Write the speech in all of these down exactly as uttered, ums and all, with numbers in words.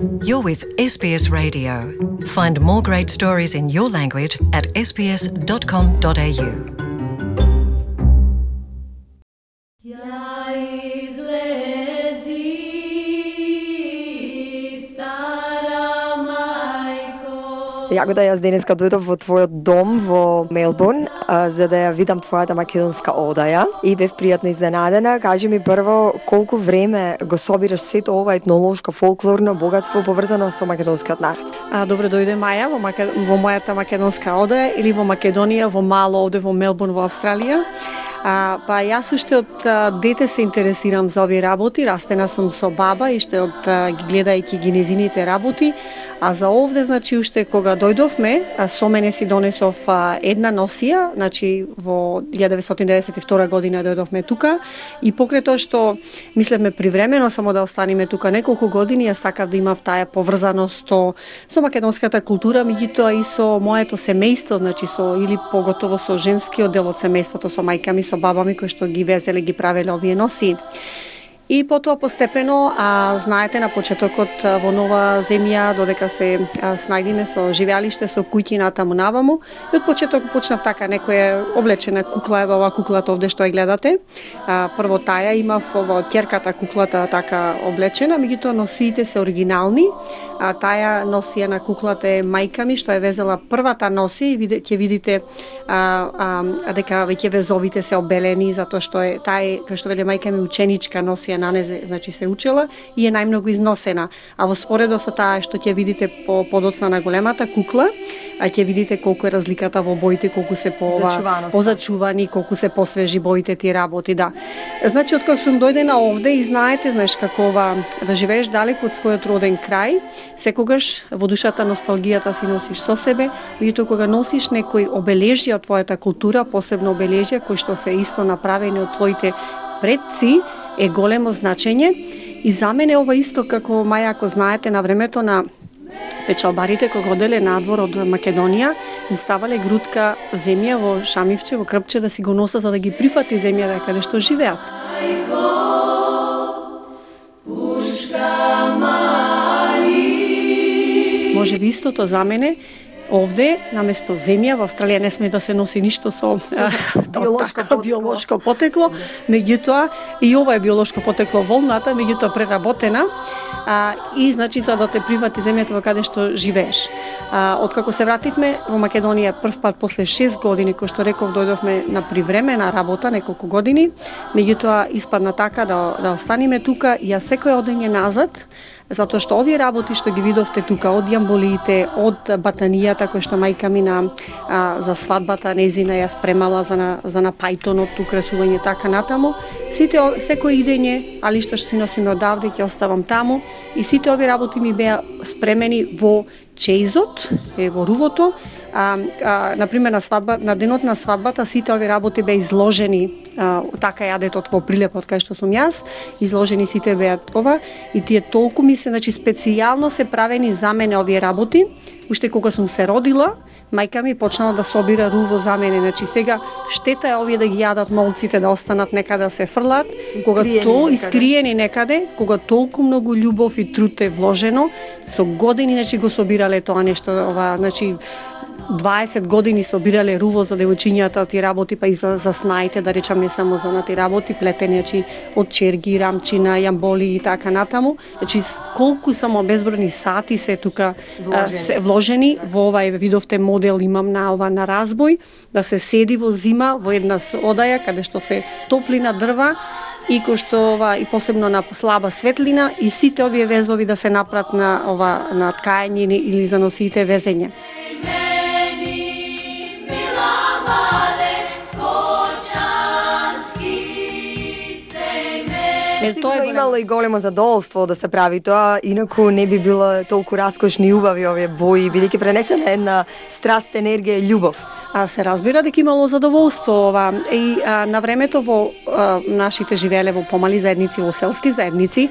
You're with S B S Radio. Find more great stories in your language at s b s dot com dot a u. Јако да јас денеска дојдов во твојот дом во Мелбурн, а, за да ја видам твојата македонска одаја и бев пријатно изненадена. Кажи ми прво колку време го собираш сето ова етнолошко фолклорно богатство поврзано со македонскиот народ? А, добре дојде Маја во, Маке... во мојата македонска одаја или во Македонија, во мало овде во Мелбурн во Австралија. А, па јас уште од а, дете се интересирам за овие работи, растена сум со баба и уште од а, ги гледајќи ги незините работи, а за овде значи уште кога дојдовме, а, со мене си донесов а, една носија, значи во илјада деветстотини деветдесет и втора година дојдовме тука и покрај тоа што мислевме привремено само да останеме тука неколку години, јас сакав да имав таа поврзаност со, со македонската култура, меѓутоа и со моето семејство, значи со или поготово со женскиот дел од семејството, со мајка ми, со баба ми кои што ги везеле, ги правеле овие носи. И потоа постепено, а, знаете, на почетокот во нова земја, додека се а, снајдиме со живеалиште, со куќи натаму наваму, и од почеток почнав така, некоја облечена кукла, ева ова куклата овде што ја гледате. А, прво таја имав ова ќерката куклата така облечена, меѓутоа носиите се оригинални. А, таја носија на куклата е мајка ми што е везела првата носи и види, ќе видите а, а, дека веќе везовите се обелени затоа што е тај, кој што веле мајка ми, ученичка носија на незе, значи се учела и е најмногу износена. А во споредо со таа што ќе видите по подоцна на големата кукла, а ќе видите колку е разликата во боите, колку се по позачувани, колку се посвежи боите тие работи, да. Значи од кога сум дојдена овде и знаете, знаеш како ова да живееш далеку од својот роден крај, секогаш во душата носталгијата си носиш со себе, меѓутоа кога носиш некои обележја од твојата култура, посебно обележја кои што се исто направени од твоите предци, е големо значење. И за мене ова исто како Маја, ако знаете, на времето на печалбарите кога оделе надвор од Македонија, им ставале грудка земја во шамивче, во крпче да си го носа за да ги прифати земјата каде што живеат. Може би истото за мене. Овде, наместо земја, во Австралија не сме да се носи ништо со биолошко, така, биолошко потекло, меѓутоа и ова е биолошко потекло волната, меѓутоа преработена, а, и значи за да те прифати земјата во каде што живееш. А, откако се вративме во Македонија прв пат после шест години, кој што реков, дојдовме на привремена работа неколку години, меѓутоа испадна така да, да останеме тука и јас секој одење назад, затоа што овие работи што ги видовте тука, од јамболиите, од батанијата кој што мајка ми на а, за свадбата незина ја спремала за на за на пајтонот, украсување така натаму, сите секој идење, али што си носиме одавде ќе оставам таму и сите овие работи ми беа спремени во чеизот, е во рувото. А, а, например, на свадба, на денот на свадбата сите овие работи беа изложени, а, така јадетот во прилепот кај што сум јас, изложени сите беа ова и тие толку ми се, значи специјално се правени за мене овие работи. Уште кога сум се родила, мајка ми почнала да собира руво за мене. Значи сега штета е овие да ги јадат молците, да останат некаде да се фрлат, кога то искриени некаде, кога толку многу љубов и труд е вложено, со години значи го собирале тоа нешто, ова, значи дваесет години собирале руво за девојчињата тие работи, па и за, за снаите, да речам, не само за на тие работи, плетени, значи од черги, рамчина, јамболи и така натаму. Значи колку само безбројни сати се тука вложени, се вложени во овај, видовте модел имам на ова на разбој, да се седи во зима во една одаја каде што се топлина дрва и кој што ова и посебно на слаба светлина и сите овие везови да се напрат на ова на ткање или за носиите везење. Сигурно имало и големо задоволство да се прави тоа, инаку не би било толку раскошни и убави овие бои, бидејќи пренесена една страст, енергија и љубов. А, се разбира дека имало задоволство ова и а, на времето во а, нашите живееле во помали заедници, во селски заедници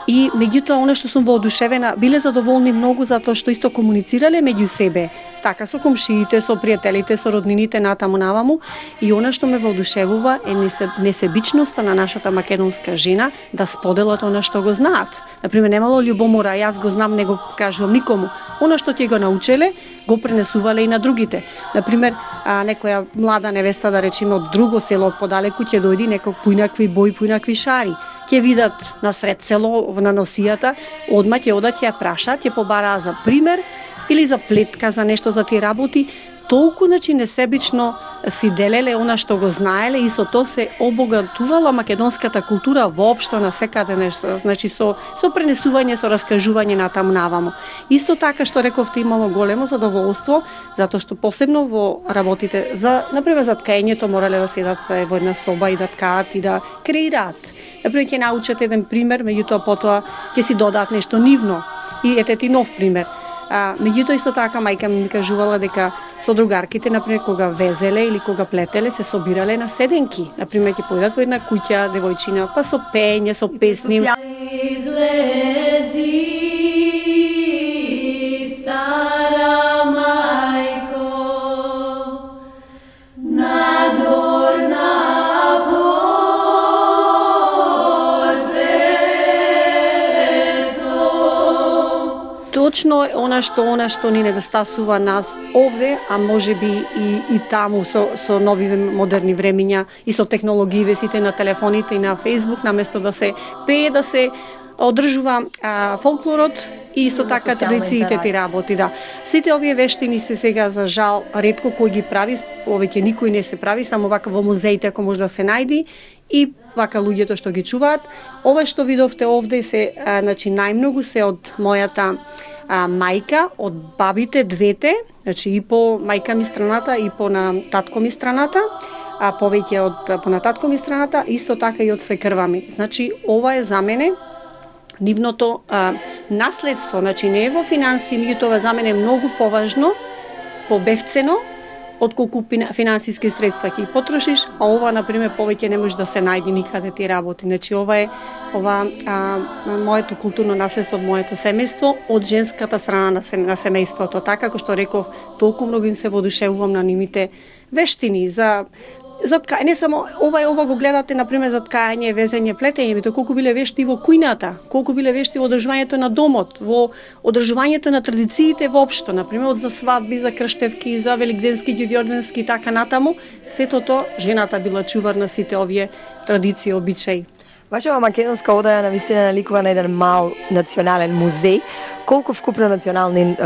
и меѓутоа она што сум воодушевена, биле задоволни многу затоа што исто комуницирале меѓу себе, така со комшиите, со пријателите, со роднините натаму наваму и она што ме воодушевува е несебичноста на нашата македонска жена да споделат она што го знаат. Например, немало љубомора, јас го знам, не го кажувам никому. Оно што ќе го научеле, го пренесувале и на другите. Например, а, некоја млада невеста, да речеме, од друго село од подалеку ќе дојди некој поинакви бои, поинакви шари. Ќе видат на сред село на носијата, одма ќе одат ќе ја прашаат, ќе побараа за пример или за плетка, за нешто за тие работи. Толку, значи, несебично си делеле она што го знаеле и со тоа се обогатувала македонската култура воопшто на секаде нешто, значи со со пренесување, со раскажување натаму наваму. Исто така што рековте, имало големо задоволство затоа што посебно во работите за, например, за ткаењето морале да седат во една соба и да ткаат и да креираат. Например, ќе научат еден пример, меѓутоа потоа ќе си додаат нешто нивно. И ете ти нов пример. А, меѓутоа исто така мајка ми кажувала дека со другарките, например, кога везеле или кога плетеле, се собирале на седенки. Например, ќе појдат во една куќа, девојчина, па со пење, со песни. Излези, стара мајко, надвор на точно она што она што ни недостасува нас овде, а можеби и и таму со со нови модерни времиња и со технологиите сите на телефоните и на Facebook, наместо да се пее, да се одржува а, фолклорот и исто така традициите ти работи, да. Сите овие вештини се сега за жал ретко кој ги прави, повеќе никој не се прави, само вака во музеите ако може да се најди и вака луѓето што ги чуваат. Ова што видовте овде се, а, значи најмногу се од мојата а, мајка, од бабите двете, значи и по мајка ми страната и по на татко ми страната, а повеќе од по на татко ми страната, исто така и од свекрва ми. Значи ова е за мене нивното а, наследство, значи не е во финансии, меѓутоа за мене е многу поважно, побевцено, отколку финансиски средства ќе потрошиш, а ова, например, повеќе не може да се најди никаде ти работи. Значи, ова е ова, а, моето културно наследство од моето семејство, од женската страна на, сем, на семејството. Така, како што реков, толку многу им се водушевувам на нивните вештини за за ткање, не само ова ова го гледате например за ткање, везење, плетење, бито колку биле вешти во кујната, колку биле вешти во одржувањето на домот, во одржувањето на традициите воопшто, например од за свадби, за крштевки, за великденски, ѓурѓовденски и така натаму, сето тоа жената била чувар на сите овие традиции, обичаи. Вашава македонска одаја навистина наликува на еден мал национален музеј. Колку вкупно национални е,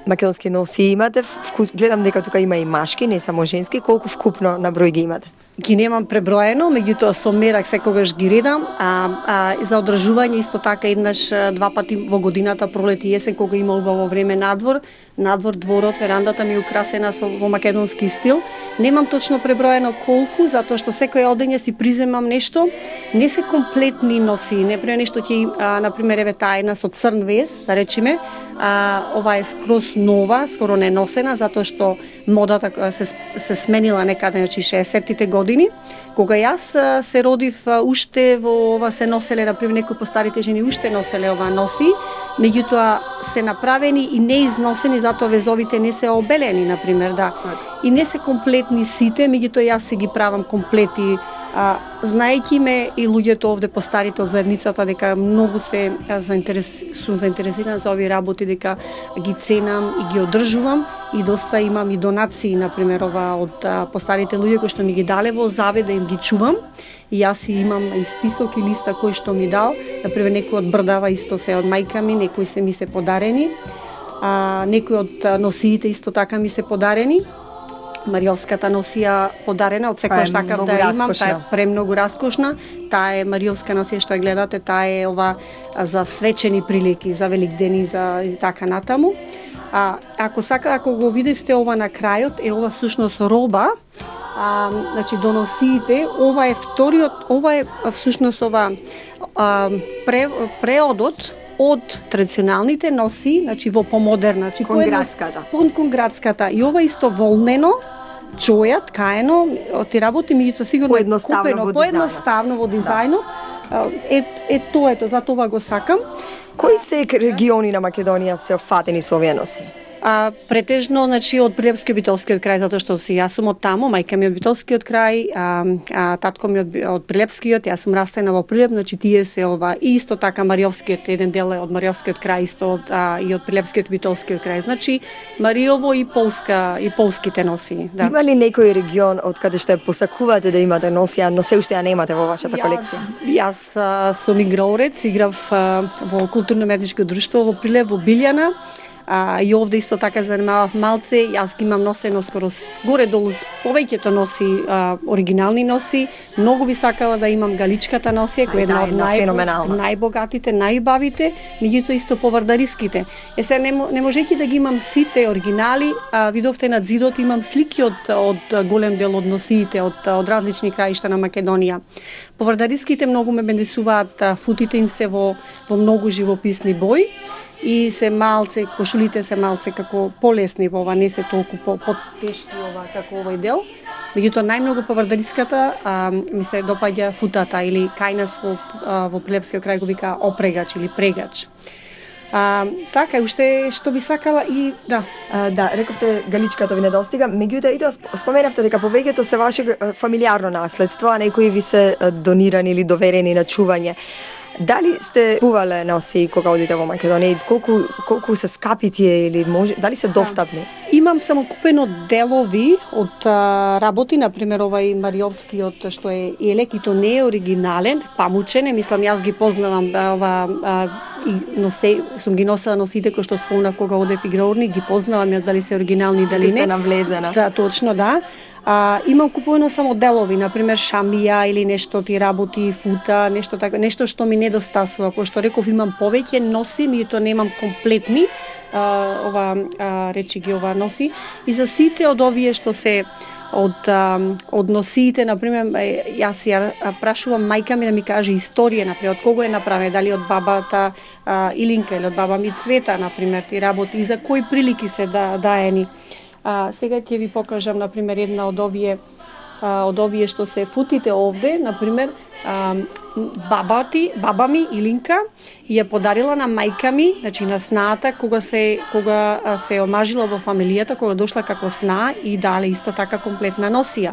македонски носи имате? Вку... Гледам дека тука има и машки, не само женски. Колку вкупно на број ги имате? Ги немам преброено, меѓутоа со мерак секогаш ги редам, а, а за одржување исто така еднаш два пати во годината, пролет и есен, кога има убаво време надвор, надвор дворот, верандата ми е украсена со во македонски стил. Немам точно преброено колку, затоа што секој одење си приземам нешто, не се комплетни носи, не пре нешто ќе, на пример, еве таа една со црн вез, да речеме, а, ова е скроз нова, скоро не носена, затоа што модата се се сменила некаде, значи шеесеттите години. Кога јас се родив, уште во ова се носеле, например, некои постарите жени уште носеле ова носи, меѓутоа се направени и не износени, затоа везовите не се обелени, например, да. И не се комплетни сите, меѓутоа јас се ги правам комплети, а, знаејќи ме и луѓето овде постарите од заедницата дека многу се заинтерес, сум заинтересирана за овие работи, дека ги ценам и ги одржувам и доста имам и донации, например, ова од а, постарите луѓе кои што ми ги дале во завет да им ги чувам. И јас и имам и список и листа кој што ми дал, например, некои од брдава исто се од мајка ми, некои се ми се подарени, а, некои од носиите исто така ми се подарени. Мариовската носија подарена, од секој сакав да имам, таа е премногу раскошна. Таа е Мариовска носија што ја гледате, таа е ова за свечени прилики, за великдени, за и така натаму. А ако сака, ако го видите ова на крајот, е ова всушност роба. А, значи доносиите, ова е вториот, ова е всушност ова а, пре, преодот од традиционалните носи, значи во помодерна, значи кон градската. Кон кон градската. И ова исто волнено, чоја, ткаено, ти работи меѓутоа сигурно поедноставно купено, во поедноставно во дизајнот. Да. Е, е тоа ето, за тоа го сакам. Кои се региони на Македонија се офатени со овие носи? А, претежно, значи, од Прилепскиот битолскиот крај, затоа што си јас сум од таму, мајка ми од битолскиот крај, а, а татко ми од, од Прилепскиот, јас сум растена во Прилеп, значи тие се ова, и исто така Мариовскиот, еден дел е од Мариовскиот крај, исто од, а, и од Прилепскиот битолскиот крај, значи Мариово и Полска, и полските носи. Да. Има ли некој регион од каде што посакувате да имате носија, но се уште ја немате во вашата колекција? Јас, јас сум играорец, играв а, во културно-медничко друштво во Прилеп, во Билјана. А, и овде исто така занимавав малце, јас ги имам носено скоро горе-долу повеќето носи, а, оригинални носи. Многу би сакала да имам галичката носија, која е една од нај, најбогатите, најбавите, меѓутоа исто повардариските. Е се не, не можејќи да ги имам сите оригинали, а, видовте на зидот имам слики од, од голем дел од носиите, од, од различни краишта на Македонија. Повардариските многу ме бенесуваат, футите им се во, во многу живописни бои, и се малце, кошулите се малце како полесни во ова, не се толку по, потешки ова како овој дел. Меѓутоа најмногу повардариската а, ми се допаѓа футата или кај нас во, а, во Прилепскиот крај го вика опрегач или прегач. А, така, уште што би сакала и да. А, да, рековте галичката ви недостига, меѓутоа и тоа споменавте дека повеќето се ваше фамилиарно наследство, а некои ви се донирани или доверени на чување. Дали сте купувале носи кога одите во Македонија? Колку колку се скапи тие или може дали се достапни? Да. Имам само купено делови од а, работи, на пример овај Мариовскиот што е елек и то не е оригинален, памучен, мислам јас ги познавам ова а, и носе сум ги носела носите кои што спомнав кога одев играурни, ги познавам јас дали се оригинални дали не. Сте навлезена. Да, точно, да. А, имам купувано само делови, на пример шамија или нешто ти работи, фута, нешто така, нешто што ми недостасува, пошто реков имам повеќе носи, меѓутоа немам комплетни, а, ова а, речи ги ова носи. И за сите од овие што се од а, од носиите, на пример, јас ја прашувам мајка ми да ми каже историја, на пример, од кого е направена, дали од бабата а, Илинка или од баба ми Цвета, на пример, ти работи и за кои прилики се да даени. А, сега ќе ви покажам, на пример, една од овие, а, од овие што се футите овде, на пример, а, бабати, баба ми Илинка ја подарила на мајка ми, значи на снаата, кога се кога се омажила во фамилијата, кога дошла како сна и дале исто така комплетна носија.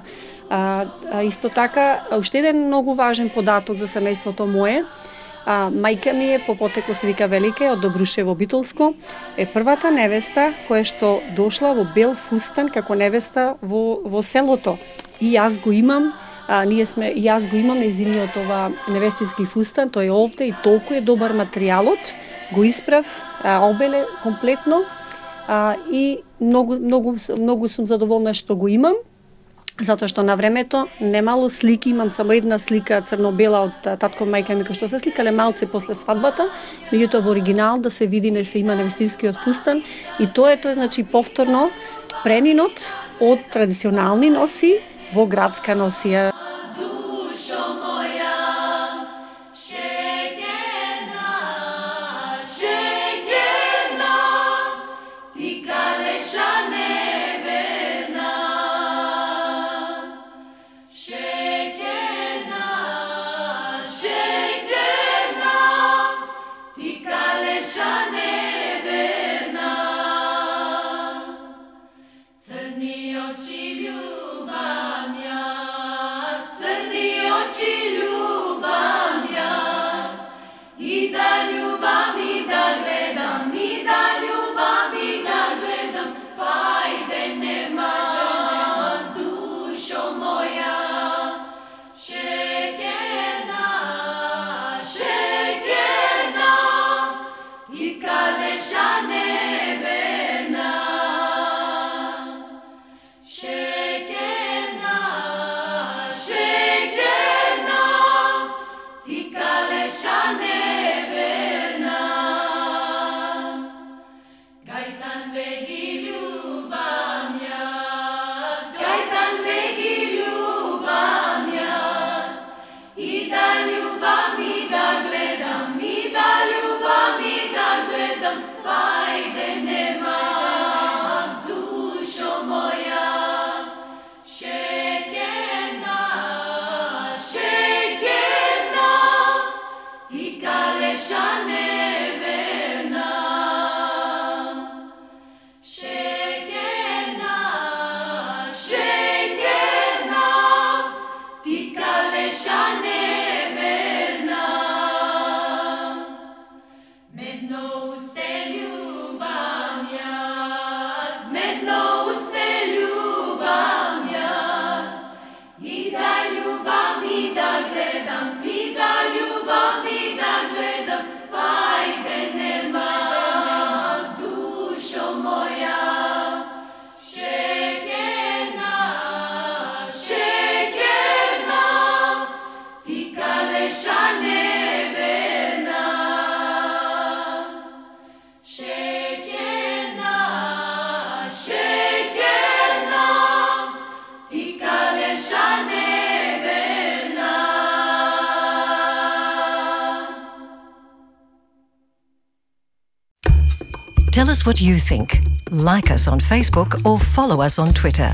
А, а исто така, уште еден многу важен податок за семејството мое. А, мајка ми е по потекло се вика Велика од Добрушево Битолско, е првата невеста која што дошла во бел фустан како невеста во во селото. И јас го имам, а, ние сме и јас го имам нејзиниот ова невестински фустан, тој е овде и толку е добар материјалот, го исправ, а, обеле комплетно, а, и многу многу многу сум задоволна што го имам. Затоа што на времето немало слики, имам само една слика црно-бела од татко мајка ми кој што се сликале малце после свадбата, меѓутоа во оригинал да се види не се има невестинскиот фустан и тоа е тоа значи повторно преминот од традиционални носи во градска носија. Shane verna, Tell us what you think. Like us on Facebook or follow us on Twitter.